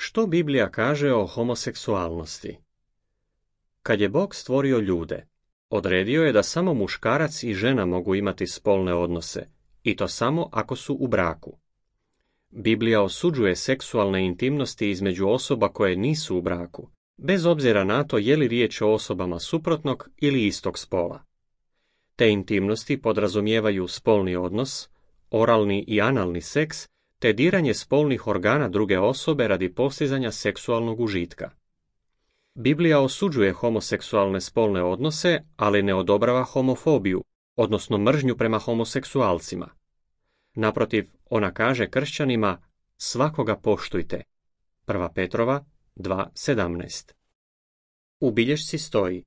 Što Biblija kaže o homoseksualnosti? Kad je Bog stvorio ljude, odredio je da samo muškarac i žena mogu imati spolne odnose, i to samo ako su u braku. Biblija osuđuje seksualne intimnosti između osoba koje nisu u braku, bez obzira na to je li riječ o osobama suprotnog ili istog spola. Te intimnosti podrazumijevaju spolni odnos, oralni i analni seks, te diranje spolnih organa druge osobe radi postizanja seksualnog užitka. Biblija osuđuje homoseksualne spolne odnose, ali ne odobrava homofobiju, odnosno mržnju prema homoseksualcima. Naprotiv, ona kaže kršćanima: svakoga poštujte. 1. Petrova 2:17. U bilješci stoji: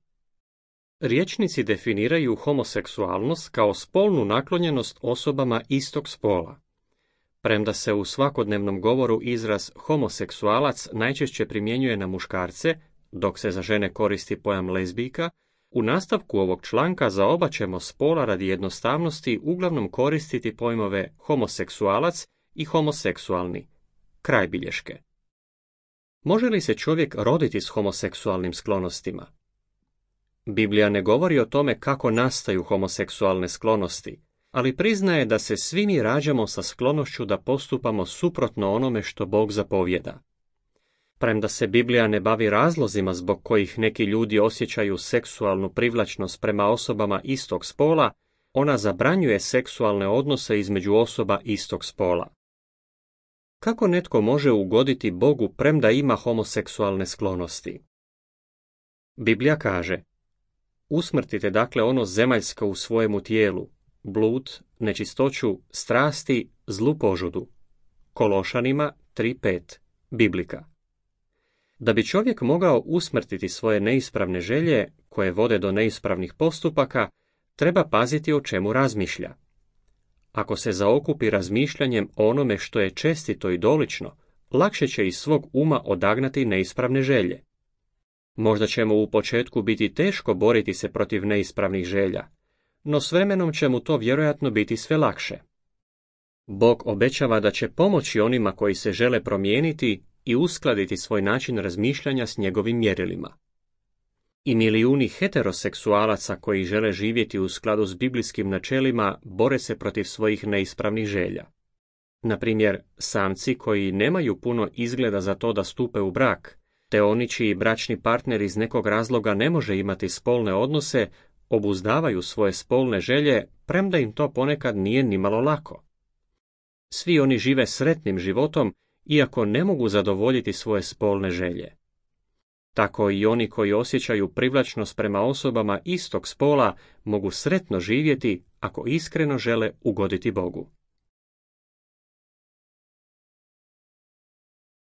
rječnici definiraju homoseksualnost kao spolnu naklonjenost osobama istog spola. Premda se u svakodnevnom govoru izraz homoseksualac najčešće primjenjuje na muškarce, dok se za žene koristi pojam lezbijka, u nastavku ovog članka za oba ćemo spola radi jednostavnosti uglavnom koristiti pojmove homoseksualac i homoseksualni. Kraj bilješke. Može li se čovjek roditi s homoseksualnim sklonostima? Biblija ne govori o tome kako nastaju homoseksualne sklonosti, ali priznaje da se svi mi rađamo sa sklonošću da postupamo suprotno onome što Bog zapovjeda. Premda se Biblija ne bavi razlozima zbog kojih neki ljudi osjećaju seksualnu privlačnost prema osobama istog spola, ona zabranjuje seksualne odnose između osoba istog spola. Kako netko može ugoditi Bogu premda ima homoseksualne sklonosti? Biblija kaže: usmrtite dakle ono zemaljsko u svojemu tijelu, blud, nečistoću, strasti, zlu požudu. Kološanima 3:5, Biblika. Da bi čovjek mogao usmrtiti svoje neispravne želje, koje vode do neispravnih postupaka, treba paziti o čemu razmišlja. Ako se zaokupi razmišljanjem o onome što je čestito i dolično, lakše će iz svog uma odagnati neispravne želje. Možda će mu u početku biti teško boriti se protiv neispravnih želja, no s vremenom će mu to vjerojatno biti sve lakše. Bog obećava da će pomoći onima koji se žele promijeniti i uskladiti svoj način razmišljanja s njegovim mjerilima. I milijuni heteroseksualaca koji žele živjeti u skladu s biblijskim načelima bore se protiv svojih neispravnih želja. Na primjer, samci koji nemaju puno izgleda za to da stupe u brak, te oni čiji bračni partner iz nekog razloga ne može imati spolne odnose, obuzdavaju svoje spolne želje, premda im to ponekad nije nimalo lako. Svi oni žive sretnim životom, iako ne mogu zadovoljiti svoje spolne želje. Tako i oni koji osjećaju privlačnost prema osobama istog spola mogu sretno živjeti ako iskreno žele ugoditi Bogu.